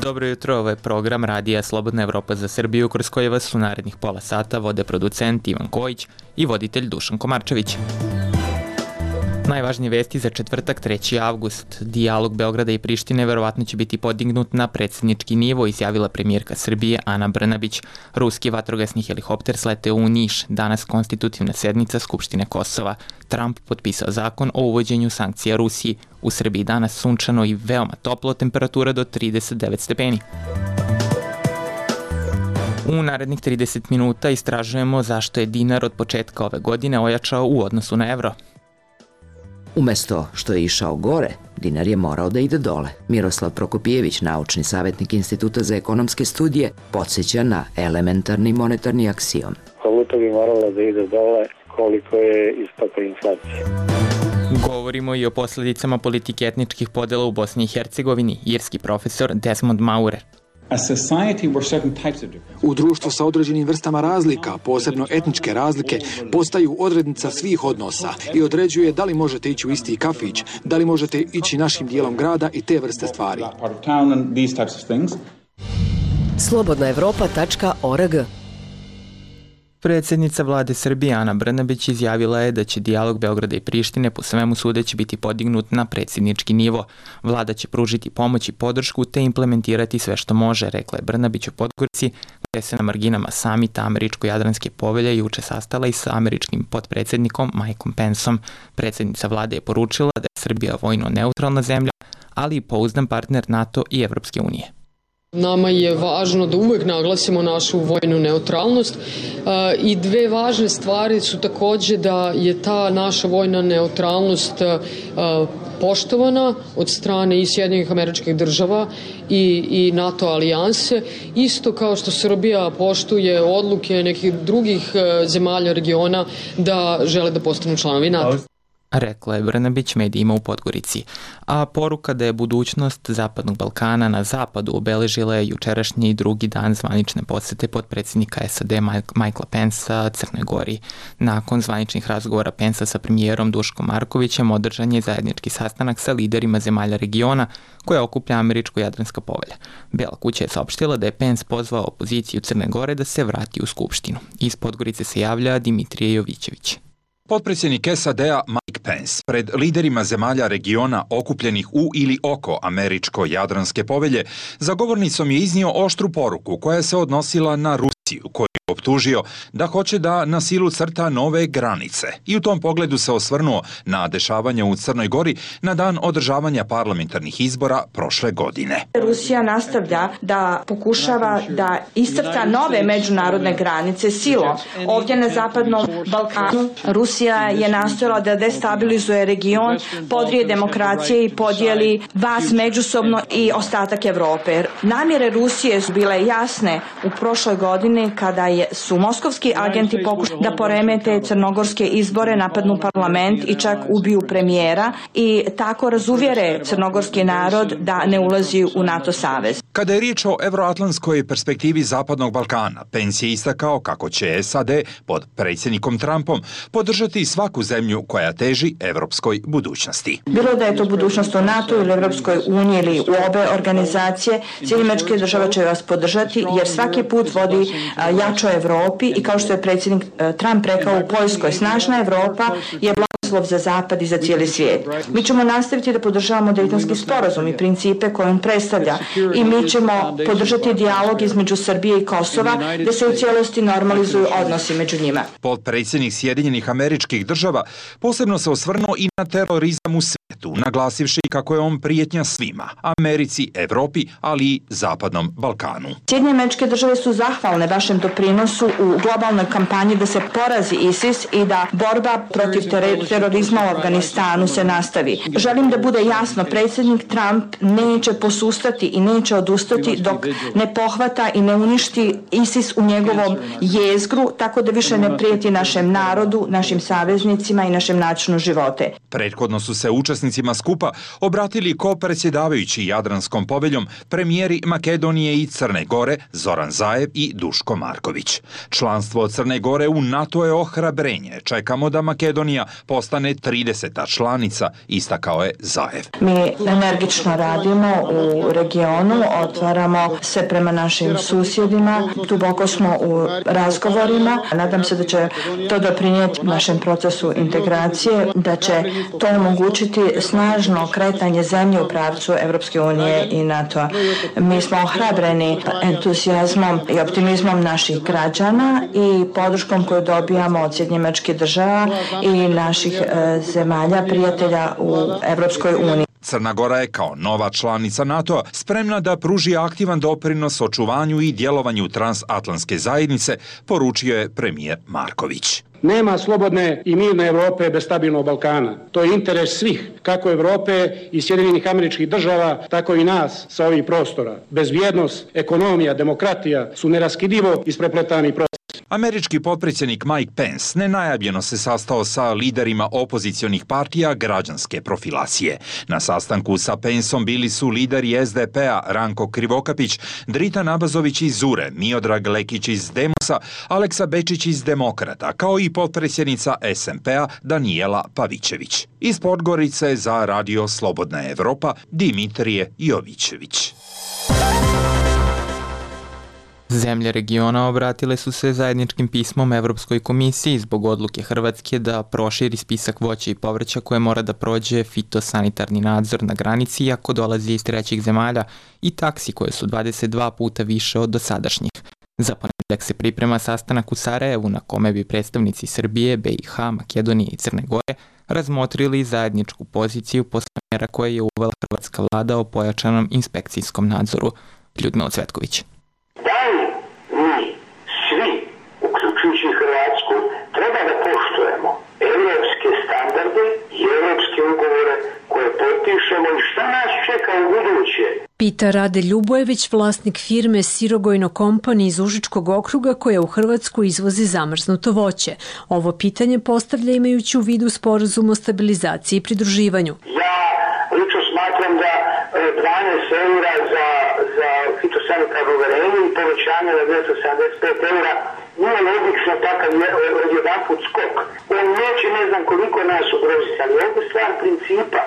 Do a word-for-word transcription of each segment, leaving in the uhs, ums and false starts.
Dobro jutro, ovo je program Radija Slobodna Evropa za Srbiju, kroz koje vas u narednih pola sata vode producent Ivan Kojić i voditelj Dušan Komarčević. Najvažnije vesti za četvrtak, treći avgust. Dijalog Beograda i Prištine verovatno će biti podignut na predsjednički nivo, izjavila premijerka Srbije Ana Brnabić. Ruski vatrogasni helikopter sleteo u Niš. Danas konstitutivna sednica Skupštine Kosova. Trump potpisao zakon o uvođenju sankcija Rusiji. U Srbiji danas sunčano i veoma toplo, temperatura do trideset devet stepeni. U narednih trideset minuta istražujemo zašto je dinar od početka ove godine ojačao u odnosu na evro. Umesto što je išao gore, dinar je morao da ide dole. Miroslav Prokopijević, naučni savjetnik Instituta za ekonomske studije, podsjeća na elementarni monetarni aksiom. Valuta bi morala da ide dole koliko je istopa inflacije. Govorimo i o posljedicama politike etničkih podela u Bosni i Hercegovini. Irski profesor Desmond Maurer. U društvu sa određenim vrstama razlika, posebno etničke razlike, postaju odrednica svih odnosa i određuje da li možete ići u isti kafić, da li možete ići našim dijelom grada i te vrste stvari. slobodna evropa tačka org. Predsjednica vlade Srbije Ana Brnabić izjavila je da će dijalog Beograda i Prištine po svemu sudeći biti podignut na predsjednički nivo. Vlada će pružiti pomoć i podršku te implementirati sve što može, rekla je Brnabić u Podgorici, gdje se na marginama samita Američko-Jadranske povelje juče sastala i sa američkim potpredsjednikom Mikeom Penceom. Predsjednica vlade je poručila da je Srbija vojno neutralna zemlja, ali i pouzdan partner NATO i Evropske unije. Nama je važno da uvek naglasimo našu vojnu neutralnost i dve važne stvari su takođe da je ta naša vojna neutralnost poštovana od strane i Sjedinjenih Američkih Država i, i NATO alijanse, isto kao što Srbija poštuje odluke nekih drugih zemalja regiona da žele da postanu članovi NATO. Rekla je Brnabić medijima u Podgorici. A poruka da je budućnost Zapadnog Balkana na zapadu obeležila je jučerašnji drugi dan zvanične posete potpredsjednika S A D Mikea Pencea Crnoj Gori. Nakon zvaničnih razgovora Pencea sa premijerom Duškom Markovićem održan je zajednički sastanak sa liderima zemalja regiona koja okuplja Američko-Jadranska povelja. Bela kuća je saopštila da je Pence pozvao opoziciju Crne Gore da se vrati u Skupštinu. Iz Podgorice se javlja Dimitrije Jovićević. Potpredsjednik S A D-a Mike Pence pred liderima zemalja regiona okupljenih u ili oko Američko-Jadranske povelje za govornicom je iznio oštru poruku koja se odnosila na Rusiju, koju je optužio da hoće da na silu crta nove granice. I u tom pogledu se osvrnuo na dešavanje u Crnoj Gori na dan održavanja parlamentarnih izbora prošle godine. Rusija nastavlja da pokušava da iscrta nove međunarodne granice silom. Ovdje na Zapadnom Balkanu Rusija je nastojala da destabilizuje region, podrije demokracije i podijeli vas međusobno i ostatak Evrope. Namjere Rusije su bile jasne u prošloj godini kada je su moskovski agenti pokušali da poremete crnogorske izbore, napadnu parlament i čak ubiju premijera i tako razuvjere crnogorski narod da ne ulazi u NATO savez. Kada je riječ o evroatlantskoj perspektivi Zapadnog Balkana, Pence je istakao kako će S A D pod predsjednikom Trumpom podržati svaku zemlju koja teži evropskoj budućnosti. Bilo da je to budućnost u NATO ili Evropskoj uniji ili u obe organizacije, Sjedinjene Američke Države će vas podržati jer svaki put vodi jačoj Evropi i kao što je predsjednik Trump rekao u Poljskoj, snažna Evropa je blagoslov za Zapad i za cijeli svijet. Mi ćemo nastaviti da podržavamo Dejtonski sporazum i principe koje on predstavlja i mi ćemo podržati dijalog između Srbije i Kosova da se u cijelosti normalizuju odnosi među njima. Potpredsjednik Sjedinjenih Američkih Država posebno se osvrnuo i na terorizam u svijetu, naglasivši kako je on prijetnja svima, Americi, Evropi, ali i Zapadnom Balkanu. Sjedinjene Američke Države su zahvalne vašem doprinosu u globalnoj kampanji da se porazi ISIS i da borba protiv terorizma u Afganistanu se nastavi. Želim da bude jasno, predsjednik Trump neće posustati i neće odustati dok ne pohvata i ne uništi ISIS u njegovom jezgru, tako da više ne prijeti našem narodu, našim saveznicima i našem načinu živote. Prethodno su se učesnicima skupa obratili ko-predsjedavajući Jadranskom poveljom premijeri Makedonije i Crne Gore Zoran Zaev i Duško Marković. Članstvo Crne Gore u NATO je ohrabrenje. Čekamo da Makedonija postane postane trideseta članica, istakao je Zaev. Mi energično radimo u regionu, otvaramo se prema našim susjedima, duboko smo u razgovorima. Nadam se da će to doprinijeti našem procesu integracije, da će to omogućiti snažno kretanje zemlje u pravcu Evropske unije i NATO. Mi smo ohrabreni entuzijazmom i optimizmom naših građana i podrškom koju dobijamo od Sjedinjenih Američkih Država i naših e, zemalja prijatelja u Evropskoj uniji. Crna Gora je kao nova članica NATO-a spremna da pruži aktivan doprinos očuvanju i djelovanju transatlantske zajednice, poručio je premijer Marković. Nema slobodne i mirne Europe bez stabilnog Balkana. To je interes svih, kako Europe i Sjedinjenih Američkih Država, tako i nas sa ovih prostora. Bezbjednost, ekonomija, demokratija su neraskidivo isprepletani procesi. Američki potpredsjednik Mike Pence nenajavljeno se sastao sa liderima opozicionih partija građanske profilacije. Na sastanku sa Penceom bili su lideri es de pe-a Ranko Krivokapić, Drita Nabazović iz Zure, Miodrag Lekić iz Demosa, Aleksa Bečić iz Demokrata, kao i potpredsjednica es em pe-a Danijela Pavićević. Iz Podgorice za Radio Slobodna Evropa Dimitrije Jovićević. Zemlje regiona obratile su se zajedničkim pismom Evropskoj komisiji zbog odluke Hrvatske da proširi spisak voća i povrća koje mora da prođe fitosanitarni nadzor na granici ako dolazi iz trećih zemalja i taksi koje su dvadeset dva puta više od dosadašnjih. Za ponedjeljak se priprema sastanak u Sarajevu na kome bi predstavnici Srbije, be i ha, Makedonije i Crne Gore razmotrili zajedničku poziciju posle mjera koje je uvela hrvatska vlada o pojačanom inspekcijskom nadzoru. Ljudmila Cvetković. Da li mi svi, uključujući Hrvatsku, treba da poštujemo evropske standarde i evropske ugovore koje potpišemo i šta nas čeka u buduće? Pita Rade Ljubojević, vlasnik firme Sirogojno Company iz Užičkog okruga koja u Hrvatsku izvozi zamrznuto voće. Ovo pitanje postavlja imajući u vidu sporazum o stabilizaciji i pridruživanju. Ja lično smatram da dvanaest eura za, za fitosanitarno uverenje i povećanje na dvjesto sedamdeset pet eura nije logično takav jedan put skok. On neće ne znam koliko nas ugroziti, ali ovdje stvar principa.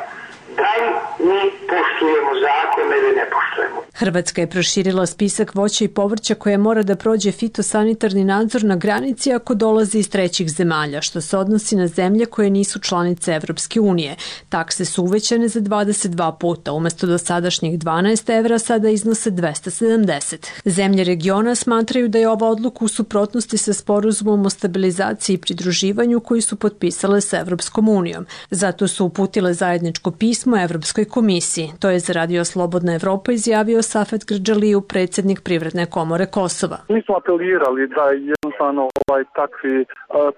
Da li mi poštujemo zakone ili ne poštujemo? Hrvatska je proširila spisak voća i povrća koje mora da prođe fitosanitarni nadzor na granici ako dolazi iz trećih zemalja, što se odnosi na zemlje koje nisu članice Evropske unije. Takse su uvećane za dvadeset dva puta, umjesto do sadašnjih dvanaest evra sada iznose dvesta sedamdeset. Zemlje regiona smatraju da je ova odluka u suprotnosti sa sporazumom o stabilizaciji i pridruživanju koji su potpisale sa Evropskom unijom. Zato su uputile zajedničko pismo Evropskoj komisiji. To je za Radio Slobodna Evropa izjavio Safet Grđaliju, predsjednik Privredne komore Kosova. Mi smo apelirali da jednostavno ovaj, takvi uh,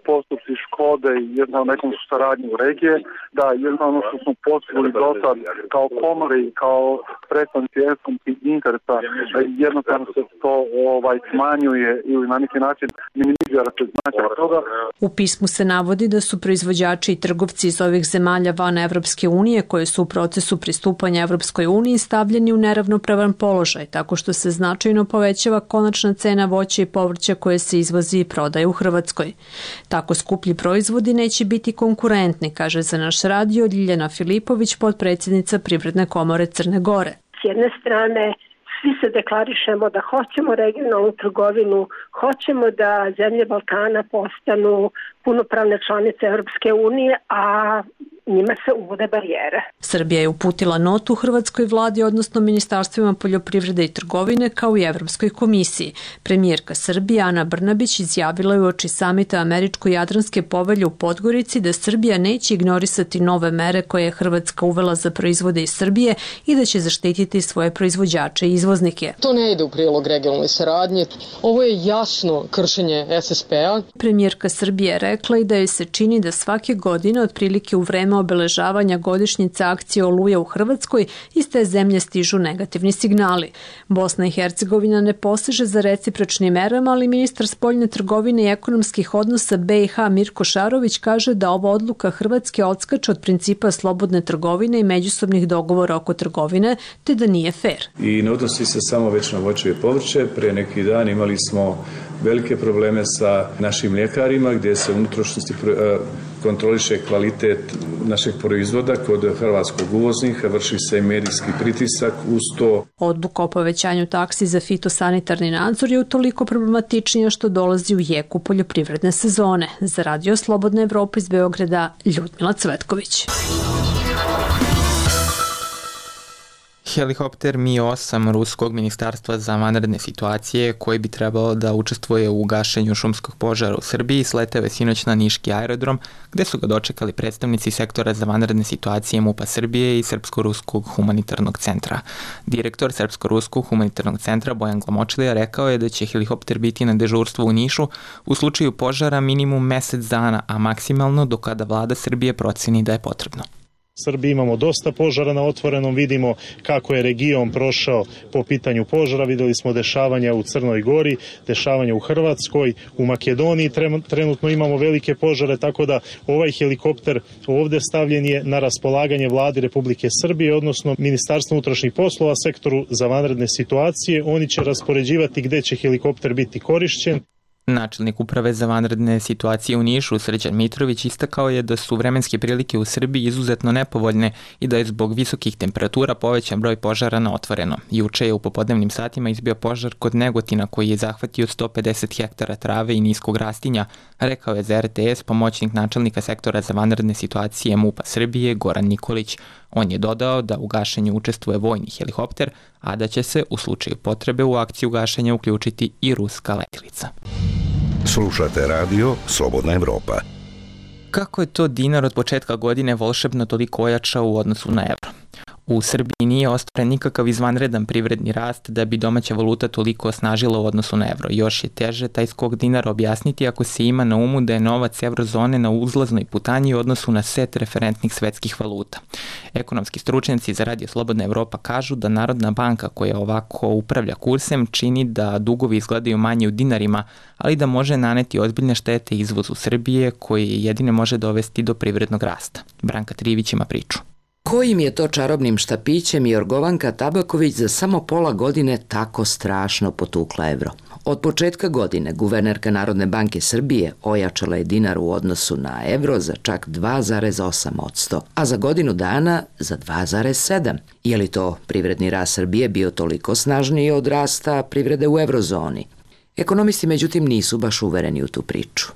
postupci škode i jednostavno nekom saradnju u regije, da jednostavno što smo postigli do sad kao komore i kao predstavnici ekonomskih interesa, jednostavno se to ovaj, smanjuje ili na neki način minimizira se značaj toga. U pismu se navodi da su proizvođači i trgovci iz ovih zemalja van Evropske unije koje su u procesu pristupanja Evropskoj uniji stavljeni u neravnopravan položaj, tako što se značajno povećava konačna cena voća i povrća koje se izvozi i prodaje u Hrvatskoj. Tako skuplji proizvodi neće biti konkurentni, kaže za naš radio Ljiljana Filipović, potpredsjednica Privredne komore Crne Gore. S jedne strane, svi se deklarišemo da hoćemo regionalnu trgovinu, hoćemo da zemlje Balkana postanu punopravne članice Evropske unije, a njima se uvode barijere. Srbija je uputila notu Hrvatskoj vladi, odnosno Ministarstvima poljoprivrede i trgovine, kao i Evropskoj komisiji. Premijerka Srbije Ana Brnabić izjavila je uoči samita Američko-Jadranske povelje u Podgorici da Srbija neće ignorisati nove mere koje je Hrvatska uvela za proizvode iz Srbije i da će zaštititi svoje proizvođače i izvoznike. To ne ide u prilog regionalne saradnje. Ovo je jasno kršenje es es pe-a. Premijerka Srbije rekla i da joj se čini da svake godine, otprilike u vreme obeležavanja godišnjice akcije Oluja u Hrvatskoj, iz te zemlje stižu negativni signali. Bosna i Hercegovina ne poseže za recipročnim merama, ali ministar spoljne trgovine i ekonomskih odnosa be i ha Mirko Šarović kaže da ova odluka Hrvatske odskače od principa slobodne trgovine i međusobnih dogovora oko trgovine, te da nije fair. I ne odnosi se samo već na voće i povrće. Prije neki dan imali smo velike probleme sa našim mljekarima gdje se unutrašnjosti kontroliše kvalitet našeg proizvoda kod hrvatskog uvoznika, vrši se i medijski pritisak uz to. Odluka o povećanju taksi za fitosanitarni nadzor je utoliko problematičnija što dolazi u jeku poljoprivredne sezone. Za Radio Slobodna Evropa iz Beograda, Ljudmila Cvetković. Helikopter Mi osam ruskog ministarstva za vanredne situacije, koji bi trebalo da učestvuje u gašenju šumskog požara u Srbiji, sleteo je sinoć na niški aerodrom, gde su ga dočekali predstavnici sektora za vanredne situacije MUP-a Srbije i Srpsko-ruskog humanitarnog centra. Direktor Srpsko-ruskog humanitarnog centra Bojan Glamočilija rekao je da će helikopter biti na dežurstvu u Nišu u slučaju požara minimum mesec dana, a maksimalno do kada vlada Srbije proceni da je potrebno. Srbiji imamo dosta požara na otvorenom, vidimo kako je region prošao po pitanju požara, videli smo dešavanja u Crnoj Gori, dešavanja u Hrvatskoj, u Makedoniji trenutno imamo velike požare, tako da ovaj helikopter ovde stavljen je na raspolaganje vladi Republike Srbije, odnosno Ministarstvu unutrašnjih poslova, sektoru za vanredne situacije. Oni će raspoređivati gde će helikopter biti korišćen. Načelnik uprave za vanredne situacije u Nišu, Srđan Mitrović, istakao je da su vremenske prilike u Srbiji izuzetno nepovoljne i da je zbog visokih temperatura povećan broj požara na otvoreno. Juče je u popodnevnim satima izbio požar kod Negotina koji je zahvatio sto pedeset hektara trave i niskog rastinja, rekao je za R T S pomoćnik načelnika sektora za vanredne situacije MUP-a Srbije Goran Nikolić. On je dodao da u gašenju učestvuje vojni helikopter, a da će se u slučaju potrebe u akciju gašenja uključiti i ruska letilica. Slušate radio Slobodna Evropa. Kako je to dinar od početka godine volšebno toliko ojačao u odnosu na evro? U Srbiji nije ostvaren nikakav izvanredan privredni rast da bi domaća valuta toliko osnažila u odnosu na evro. Još je teže taj skok dinara objasniti ako se ima na umu da je novac evrozone na uzlaznoj putanji u odnosu na set referentnih svetskih valuta. Ekonomski stručnjaci za Radio Slobodna Evropa kažu da Narodna banka koja ovako upravlja kursem čini da dugovi izgledaju manje u dinarima, ali da može naneti ozbiljne štete izvozu Srbije koji jedine može dovesti do privrednog rasta. Branka Trivić ima priču. Kojim je to čarobnim štapićem Jorgovanka Tabaković za samo pola godine tako strašno potukla evro? Od početka godine guvernerka Narodne banke Srbije ojačala je dinar u odnosu na evro za čak dva zarez osam posto, a za godinu dana za dva zarez sedam. Je li to privredni rast Srbije bio toliko snažniji od rasta privrede u evrozoni? Ekonomisti međutim nisu baš uvereni u tu priču.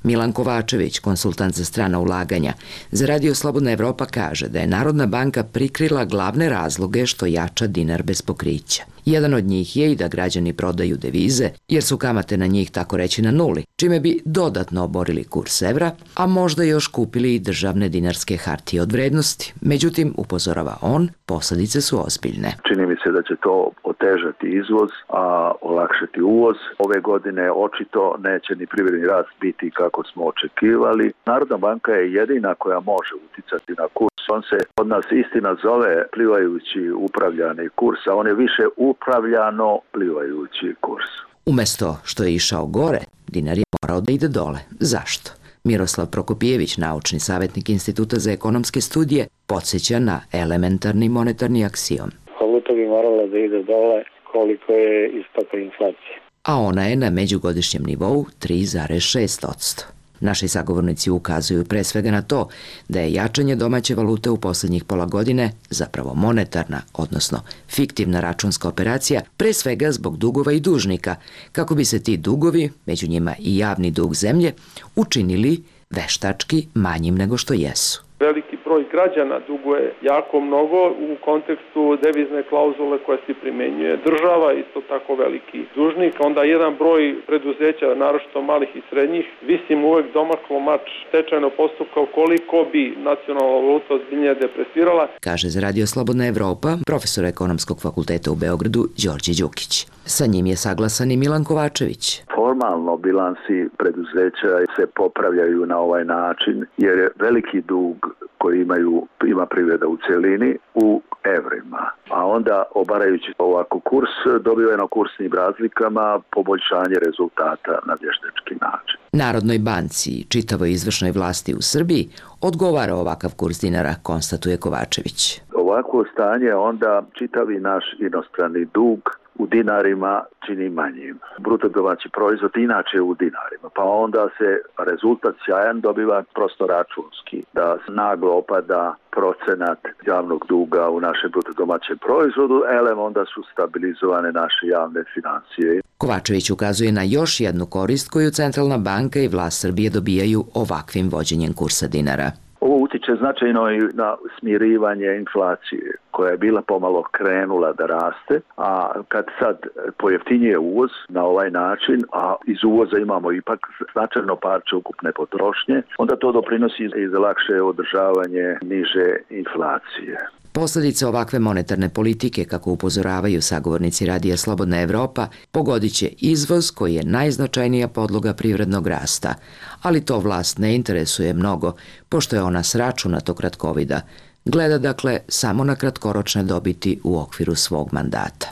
Milan Kovačević, konsultant za strana ulaganja, za Radio Slobodna Evropa kaže da je Narodna banka prikrila glavne razloge što jača dinar bez pokrića. Jedan od njih je i da građani prodaju devize, jer su kamate na njih tako reći na nuli, čime bi dodatno oborili kurs evra, a možda još kupili i državne dinarske hartije od vrednosti. Međutim, upozorava on, posljedice su ozbiljne. Čini mi se da će to otežati izvoz, a olakšati uvoz. Ove godine očito neće ni privredni rast biti kako smo očekivali. Narodna banka je jedina koja može uticati na kurs. On se od nas istina zove plivajući upravljani kurs, a on je više upravljano plivajući kurs. Umesto što je išao gore, dinar je morao da ide dole. Zašto? Miroslav Prokopijević, naučni savjetnik Instituta za ekonomske studije, podsjeća na elementarni monetarni aksiom. Valuta bi morala da ide dole koliko je istopa inflacije. A ona je na međugodišnjem nivou tri zarez šest posto. Naši sagovornici ukazuju pre svega na to da je jačanje domaće valute u posljednjih pola godine zapravo monetarna, odnosno fiktivna računska operacija, pre svega zbog dugova i dužnika, kako bi se ti dugovi, među njima i javni dug zemlje, učinili veštački manjim nego što jesu. Veliki broj građana duguje jako mnogo u kontekstu devizne klauzule koja se primenjuje. Država isto tako veliki dužnik, onda jedan broj preduzeća, naročito malih i srednjih, visim uvek domaklo mač stečajnog postupka koliko bi nacionalna valuta ozbiljnije depresirala. Kaže za Radio Slobodna Evropa profesor ekonomskog fakulteta u Beogradu Đorđe Đukić. Sa njim je saglasan i Milan Kovačević. Formalno bilansi preduzeća se popravljaju na ovaj način jer je veliki dug koji imaju, ima privreda u celini u evrima. A onda obarajući ovako kurs, dobiveno kursnim razlikama poboljšanje rezultata na vještački način. Narodnoj banci i čitavoj izvršnoj vlasti u Srbiji odgovara ovakav kurs dinara, konstatuje Kovačević. Ovako stanje onda čitavi naš inostrani dug u dinarima čini manjim. Bruto domaći proizvod inače u dinarima, pa onda se rezultat sjajan dobiva prosto računski, da naglo opada procenat javnog duga u našem bruto domaćem proizvodu, elem onda su stabilizovane naše javne financije. Kovačević ukazuje na još jednu korist koju Centralna banka i vlast Srbije dobijaju ovakvim vođenjem kursa dinara. Ovo utiče značajno i na smirivanje inflacije, koja je bila pomalo krenula da raste, a kad sad pojeftinjuje uvoz na ovaj način, a iz uvoza imamo ipak značajno parče ukupne potrošnje, onda to doprinosi i za lakše održavanje niže inflacije. Posledice ovakve monetarne politike, kako upozoravaju sagovornici Radija Slobodna Evropa, pogodit će izvoz koji je najznačajnija podloga privrednog rasta, ali to vlast ne interesuje mnogo, pošto je ona s računatog kratkovida. Gleda dakle samo na kratkoročne dobiti u okviru svog mandata.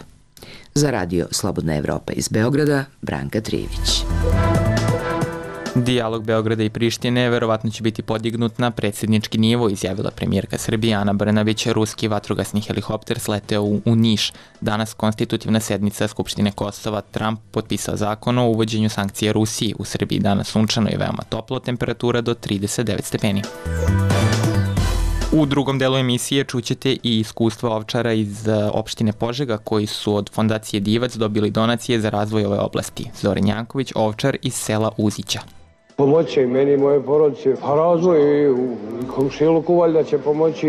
Za Radio Slobodna Evropa iz Beograda, Branka Trivić. Dijalog Beograda i Prištine verovatno će biti podignut na predsjednički nivo, izjavila premijerka Srbije Ana Brnabić. Ruski vatrogasni helikopter sleteo u, u Niš. Danas konstitutivna sednica Skupštine Kosova. Trump potpisao zakon o uvođenju sankcija Rusiji. U Srbiji danas sunčano i veoma toplo, temperatura do trideset devet stepeni. U drugom delu emisije čućete i iskustva ovčara iz opštine Požega koji su od fondacije Divac dobili donacije za razvoj ove oblasti. Zoran Janković, ovčar iz sela Uzića. Pomoći i meni i moje porodice, pa razvoj i u komšiluku valjda će pomoći,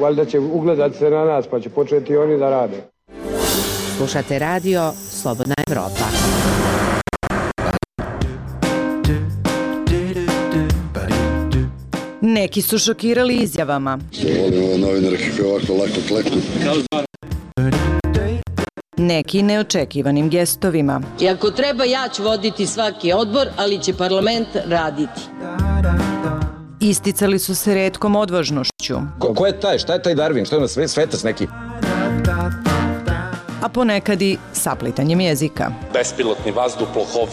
valjda će ugledati se na nas pa će početi oni da rade. Slušate radio Slobodna Evropa. Neki su šokirali izjavama. Volim ove novinare kako ovako lako kleknu. Neki neočekivanim gestovima. I ako treba, ja ću voditi svaki odbor, ali će parlament raditi. Isticali su se retkom odvažnošću. Ko, ko je taj? Šta je taj Darwin? Šta je ono svetac neki? A ponekad i saplitanjem jezika. Bespilotni vazduhoplov.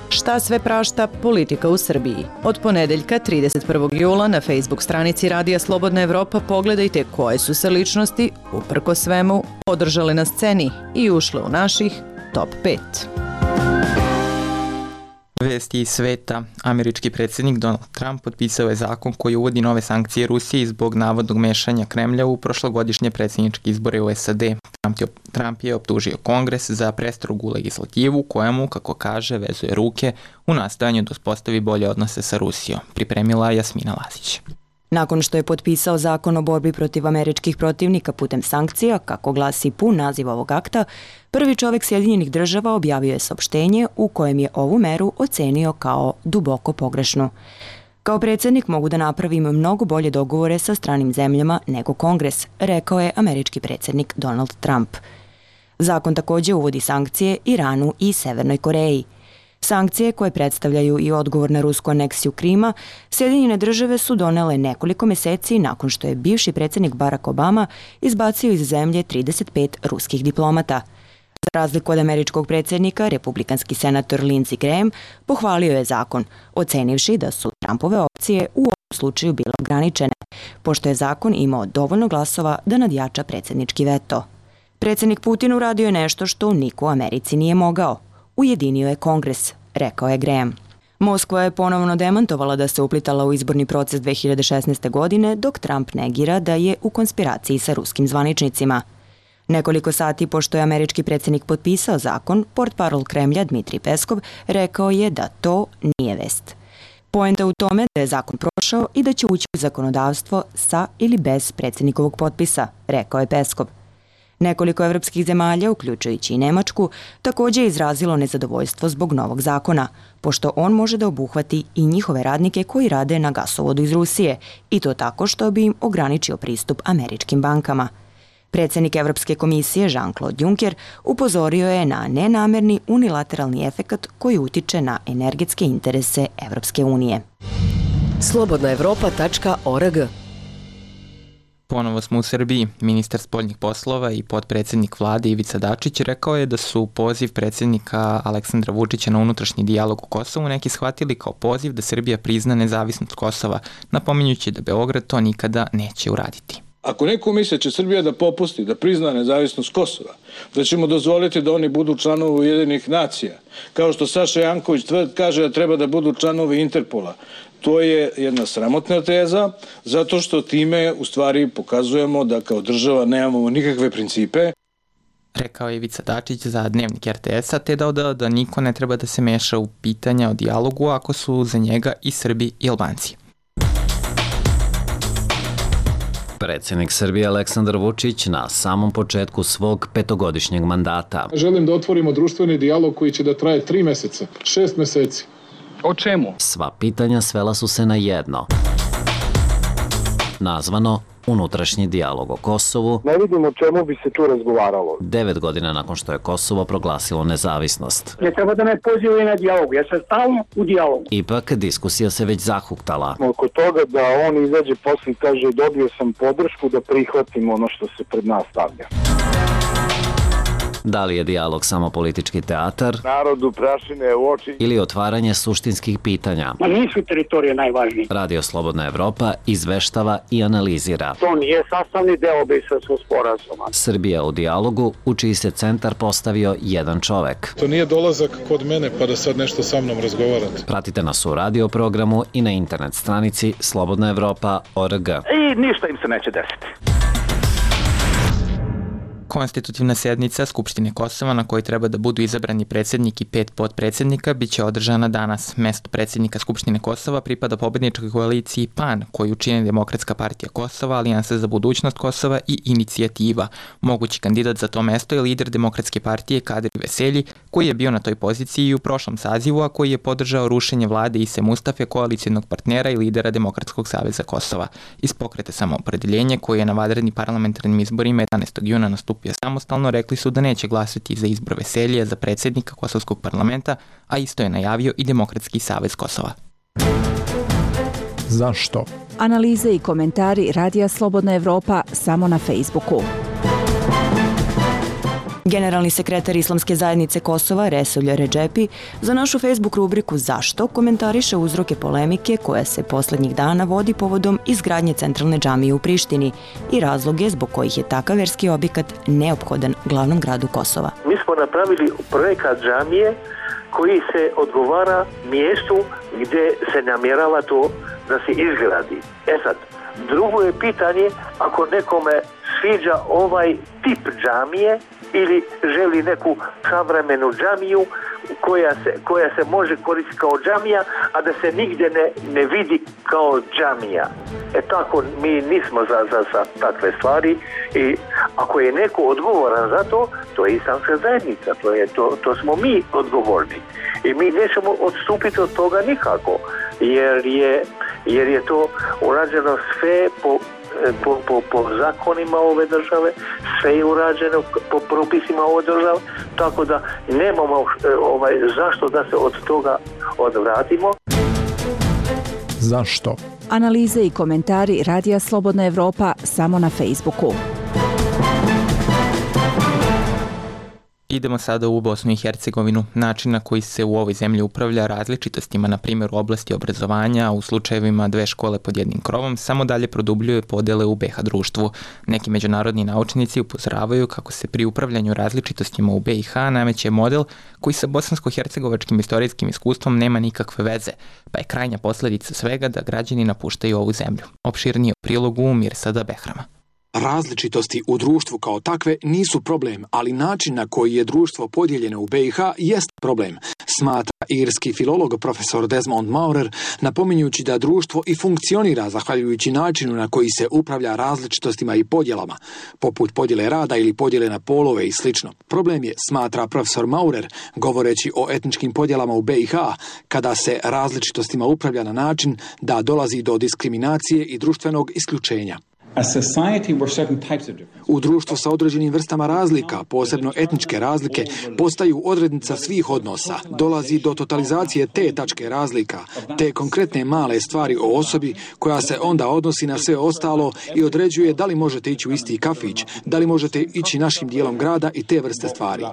Šta sve prašta politika u Srbiji? Od ponedeljka trideset prvog jula na Facebook stranici Radija Slobodna Evropa pogledajte koje su se ličnosti, uprko svemu, održale na sceni i ušle u naših top pet. Vesti iz sveta. Američki predsjednik Donald Trump potpisao je zakon koji uvodi nove sankcije Rusiji zbog navodnog mešanja Kremlja u prošlogodišnje predsjedničke izbore u S A D. Trump je, Trump je optužio Kongres za prestrogu legislativu kojemu, kako kaže, vezuje ruke u nastojanju da uspostavi bolje odnose sa Rusijom. Pripremila Jasmina Lazić. Nakon što je potpisao zakon o borbi protiv američkih protivnika putem sankcija, kako glasi pun naziv ovog akta, prvi čovjek Sjedinjenih država objavio je saopštenje u kojem je ovu meru ocenio kao duboko pogrešnu. Kao predsjednik mogu da napravim mnogo bolje dogovore sa stranim zemljama nego Kongres, rekao je američki predsjednik Donald Trump. Zakon također uvodi sankcije Iranu i Severnoj Koreji. Sankcije koje predstavljaju i odgovor na rusku aneksiju Krima, Sjedinjene države su donele nekoliko mjeseci nakon što je bivši predsjednik Barack Obama izbacio iz zemlje trideset pet ruskih diplomata. Za razliku od američkog predsjednika, republikanski senator Lindsey Graham pohvalio je zakon, ocenivši da su Trumpove opcije u ovom slučaju bile ograničene, pošto je zakon imao dovoljno glasova da nadjača predsjednički veto. Predsjednik Putin uradio je nešto što niko u Americi nije mogao. Ujedinio je Kongres, rekao je Graham. Moskva je ponovno demantovala da se uplitala u izborni proces dve hiljade šesnaeste. godine, dok Trump negira da je u konspiraciji sa ruskim zvaničnicima. Nekoliko sati pošto je američki predsjednik potpisao zakon, portparol Kremlja Dmitrij Peskov rekao je da to nije vest. Poenta u tome da je zakon prošao i da će ući u zakonodavstvo sa ili bez predsjednikovog potpisa, rekao je Peskov. Nekoliko evropskih zemalja, uključujući i Nemačku, također je izrazilo nezadovoljstvo zbog novog zakona, pošto on može da obuhvati i njihove radnike koji rade na gasovodu iz Rusije, i to tako što bi im ograničio pristup američkim bankama. Predsjednik Evropske komisije Jean-Claude Juncker upozorio je na nenamerni unilateralni efekat koji utiče na energetske interese Evropske unije. slobodna evropa tačka org. Ponovo smo u Srbiji. Ministar spoljnih poslova i potpredsjednik vlade Ivica Dačić rekao je da su poziv predsjednika Aleksandra Vučića na unutrašnji dijalog u Kosovu neki shvatili kao poziv da Srbija prizna nezavisnost Kosova, napominjući da Beograd to nikada neće uraditi. Ako neko misle će Srbija da popusti, da prizna nezavisnost Kosova, da ćemo dozvoliti da oni budu članovi Ujedinjenih nacija, kao što Saša Janković kaže da treba da budu članovi Interpola, to je jedna sramotna teza, zato što time u stvari pokazujemo da kao država nemamo nikakve principe. Rekao je Ivica Dačić za Dnevnik er te es-a, te dodao da niko ne treba da se meša u pitanja o dijalogu ako su za njega i Srbi i Albanci. Predsjednik Srbije Aleksandar Vučić na samom početku svog petogodišnjeg mandata. Želim da otvorimo društveni dijalog koji će da traje tri meseca, šest meseci. O čemu? Sva pitanja svela su se na jedno. Nazvano unutrašnji dijalog o Kosovu. Ne vidim o čemu bi se tu razgovaralo. Devet godina nakon što je Kosovo proglasilo nezavisnost. Ne treba da me pozivaju na dijalog, ja sam stalno u dijalogu. Ipak diskusija se već zahuktala. Oko toga da on izađe posle i kaže dobio sam podršku da prihvatim ono što se pred nas stavlja. Da li je dijalog samo politički teatar? Narodu prašine u oči. Ili otvaranje suštinskih pitanja? Ma nisu teritorije najvažnije. Radio Slobodna Evropa izveštava i analizira. To nije sastavni deo Briselskog sporazuma. Srbija u dijalogu, u čiji se centar postavio jedan čovek. To nije dolazak kod mene pa da sad nešto sa mnom razgovarate. Pratite nas u radio programu i na internet stranici slobodna evropa tačka org. I ništa im se neće desiti. Konstitutivna sednica Skupštine Kosova na kojoj treba da budu izabrani predsjednik i pet potpredsjednika biće održana danas. Mesto predsjednika Skupštine Kosova pripada pobedničkoj koaliciji P A N, koju čine Demokratska partija Kosova, Alijansa za budućnost Kosova i Inicijativa. Mogući kandidat za to mesto je lider Demokratske partije Kadir Veselji, koji je bio na toj poziciji i u prošlom sazivu, a koji je podržao rušenje vlade Ise Mustafe, koalicijnog partnera i lidera Demokratskog saveza Kosova. Iz Pokreta samoopredeljenje, koji je na vanrednim parlamentarnim izborima jedanaestog juna nastupio samostalno, rekli su da neće glasati za izbor Veseljija za predsjednika Kosovskog parlamenta, a isto je najavio i Demokratski savez Kosova. Zašto? Analize i komentari Radija Slobodna Evropa samo na Facebooku. Generalni sekretar Islamske zajednice Kosova, Resulja Redžepi, za našu Facebook rubriku Zašto komentariše uzroke polemike koja se poslednjih dana vodi povodom izgradnje centralne džamije u Prištini i razloge zbog kojih je takav verski objekat neophodan glavnom gradu Kosova. Mi smo napravili projekat džamije koji se odgovara mjestu gdje se namjerava to da se izgradi. E sad, drugo je pitanje ako nekome sviđa ovaj tip džamije ili želi neku savremenu džamiju koja se, koja se može koristiti kao džamija, a da se nigdje ne, ne vidi kao džamija. E tako, mi nismo za, za, za takve stvari i ako je neko odgovoran za to, to je islamska zajednica, to, je, to, to smo mi odgovorni. I mi nećemo odstupiti od toga nikako, jer je, jer je to urađeno sve po Po, po, po zakonima ove države, sve je urađeno po propisima ove države, tako da nemamo ovaj, zašto da se od toga odvratimo. Zašto? Analize i komentari Radija Slobodna Evropa samo na Facebooku. Idemo sada u Bosnu i Hercegovinu. Način na koji se u ovoj zemlji upravlja različitostima, na primjer u oblasti obrazovanja, u slučajevima dve škole pod jednim krovom, samo dalje produbljuje podele u be ha društvu. Neki međunarodni naučnici upozoravaju kako se pri upravljanju različitostima u be ha nameće model koji sa bosansko-hercegovačkim istorijskim iskustvom nema nikakve veze, pa je krajnja posljedica svega da građani napuštaju ovu zemlju. Opširnije u prilogu Mirsada Behrama. Različitosti u društvu kao takve nisu problem, ali način na koji je društvo podijeljeno u be ha jest problem, smatra irski filolog profesor Desmond Maurer, napominjući da društvo i funkcionira zahvaljujući načinu na koji se upravlja različitostima i podjelama, poput podjele rada ili podjele na polove i sl. Problem je, smatra profesor Maurer, govoreći o etničkim podjelama u be ha, kada se različitostima upravlja na način da dolazi do diskriminacije i društvenog isključenja. U društvu sa određenim vrstama razlika, posebno etničke razlike, postaju odrednica svih odnosa. Dolazi do totalizacije te tačke razlika, te konkretne male stvari o osobi koja se onda odnosi na sve ostalo i određuje da li možete ići u isti kafić, da li možete ići našim dijelom grada i te vrste stvari.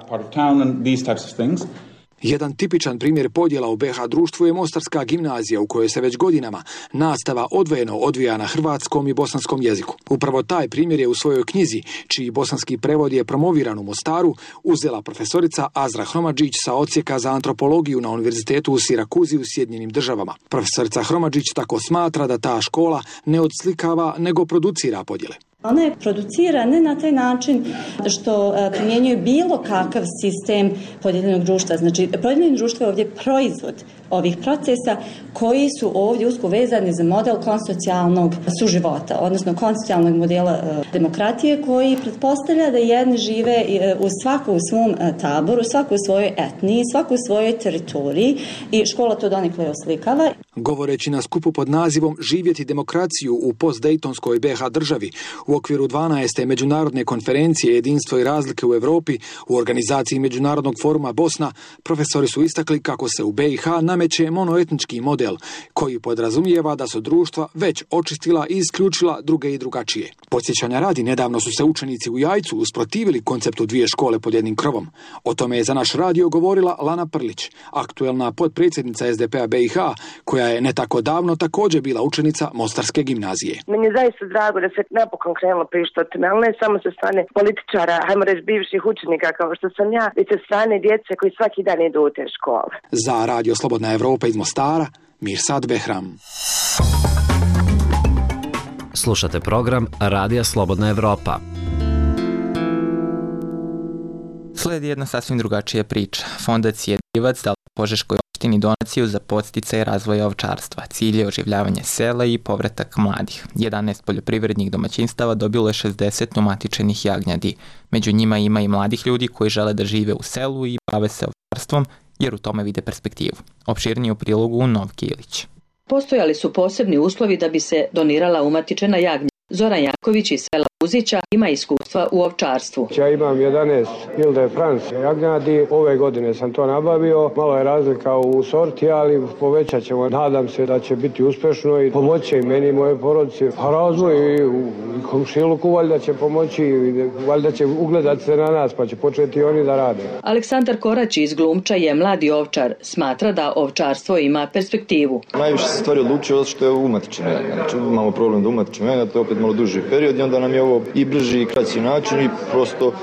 Jedan tipičan primjer podjela u be ha društvu je Mostarska gimnazija u kojoj se već godinama nastava odvojeno odvija na hrvatskom i bosanskom jeziku. Upravo taj primjer je u svojoj knjizi, čiji bosanski prevod je promoviran u Mostaru, uzela profesorica Azra Hromadžić sa odsjeka za antropologiju na Univerzitetu u Sirakuzi u Sjedinjenim Državama. Profesorica Hromadžić tako smatra da ta škola ne odslikava nego producira podjele. Ona je producira ne na taj način što primjenjuje bilo kakav sistem podijeljenog društva. Znači, podijeljeno društvo je ovdje proizvod ovih procesa koji su ovdje usko vezani za model konsocijalnog suživota, odnosno konsocijalnog modela demokratije koji pretpostavlja da jedni žive u svaku u svom taboru, svaku u svojoj etniji, svaku u svojoj teritoriji i škola to donekle oslikava. Govoreći na skupu pod nazivom Živjeti demokraciju u postdejtonskoj be ha državi u okviru dvanaeste međunarodne konferencije Jedinstvo i razlike u Europi u organizaciji Međunarodnog foruma Bosna, profesori su istakli kako se u be ha nameće monoetnički model koji podrazumijeva da su društva već očistila i isključila druge i drugačije. Podsjećanja radi, nedavno su se učenici u Jajcu usprotivili konceptu dvije škole pod jednim krovom. O tome je za naš radio govorila Lana Prlić, aktuelna potpredsjednica es de pe a be ha, koja je ne tako davno također bila učenica Mostarske gimnazije. Meni je zaista drago da se napokon krenulo pričati o tome, ali ne samo sa strane političara, hajmo reći bivših učenika kao što sam ja, već sa strane djece koji svaki dan idu u te škole. Za Radio Slobodna Evropa iz Mostara, Mirsad Behram. Slušate program Radija Slobodna Evropa. Sledi jedna sasvim drugačija priča. Fondacija Divac dala Požeškoj opštini donaciju za podsticaj razvoja ovčarstva. Cilj je oživljavanje sela i povratak mladih. jedanaest poljoprivrednih domaćinstava dobilo je šezdeset umatičenih jagnjadi. Među njima ima i mladih ljudi koji žele da žive u selu i bave se ovčarstvom, jer u tome vide perspektivu. Opširnije u prilogu Novke Ilić. Postojali su posebni uslovi da bi se donirala umatičena jagnja. Zoran Janković iz sela Uzića ima iskustva u ovčarstvu. Ja imam jedanaest Ile de France jagnjadi, ove godine sam to nabavio, malo je razlika u sorti, ali povećat ćemo, nadam se da će biti uspešno i pomoći i meni i moje porodice. A razvoj i u komšiluku valjda će pomoći, valjda će ugledati se na nas pa će početi oni da rade. Aleksandar Korać iz Glumča je mladi ovčar, smatra da ovčarstvo ima perspektivu. Najviše se stvari odlučio što je umatičeno jagnjad, znači imamo problem da umatičemo jagnjad, to je opet malo duži period i onda nam je ovo i brži i kraći način i prosto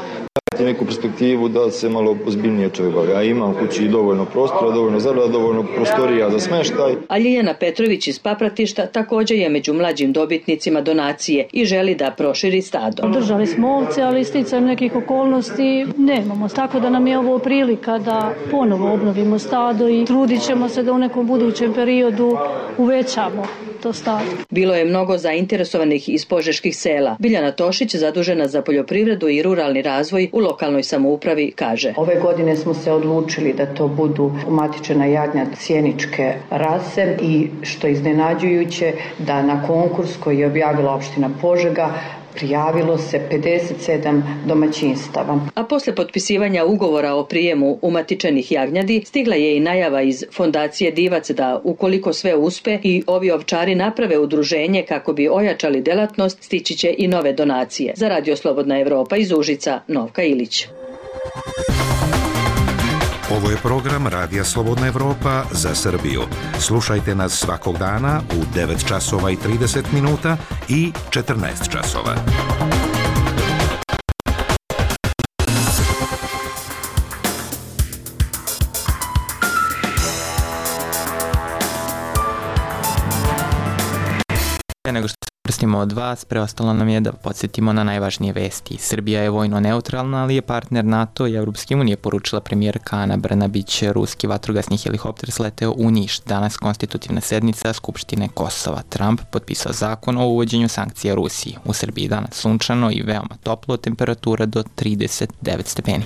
dati neku perspektivu da se malo ozbiljnije čovjek bavi. Ja imam u kući dovoljno prostora, dovoljno zarada, dovoljno prostorija za smeštaj. A Ljiljana Petrović iz Papratišta također je među mlađim dobitnicima donacije i želi da proširi stado. Držali smo ovce, ali sticajem nekih okolnosti nemamo. Tako da nam je ovo prilika da ponovo obnovimo stado i trudit ćemo se da u nekom budućem periodu uvećamo to stado. Bilo je mnogo zainteresovanih iz požeških sela. Biljana Tošić, zadužena za poljoprivredu i ruralni razvoj u lokalnoj samoupravi, kaže. Ove godine smo se odlučili da to budu umatičena jagnjad sjeničke rase i što je iznenađujuće da na konkurs koji je objavila opština Požega prijavilo se pedeset sedam domaćinstava. A posle potpisivanja ugovora o prijemu umatičenih jagnjadi stigla je i najava iz Fondacije Divac da ukoliko sve uspe i ovi ovčari naprave udruženje kako bi ojačali delatnost, stići će i nove donacije. Za Radio Slobodna Evropa iz Užica, Novka Ilić. Ovo je program Radija Slobodna Evropa za Srbiju. Slušajte nas svakog dana u devet časova i trideset minuta i četrnaest časova. Nego što se prstimo od vas, preostalo nam je da podsjetimo na najvažnije vesti. Srbija je vojno neutralna, ali je partner NATO i Europske unije, poručila premijerka Ana Brnabić. Ruski vatrogasni helikopter sleteo u Niš. Danas konstitutivna sednica Skupštine Kosova. Trump potpisao zakon o uvođenju sankcija Rusiji. U Srbiji danas sunčano i veoma toplo, temperatura do trideset devet stepeni.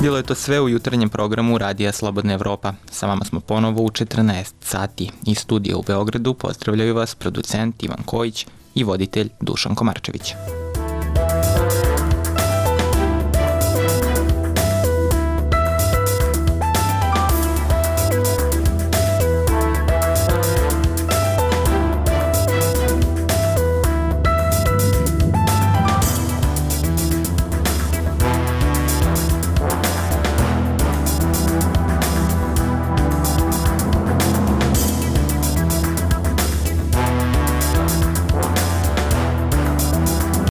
Bilo je to sve u jutarnjem programu Radija Slobodna Evropa. Sa vama smo ponovo u četrnaest sati. Iz studija u Beogradu pozdravljaju vas producent Ivan Kojić i voditelj Dušan Komarčević.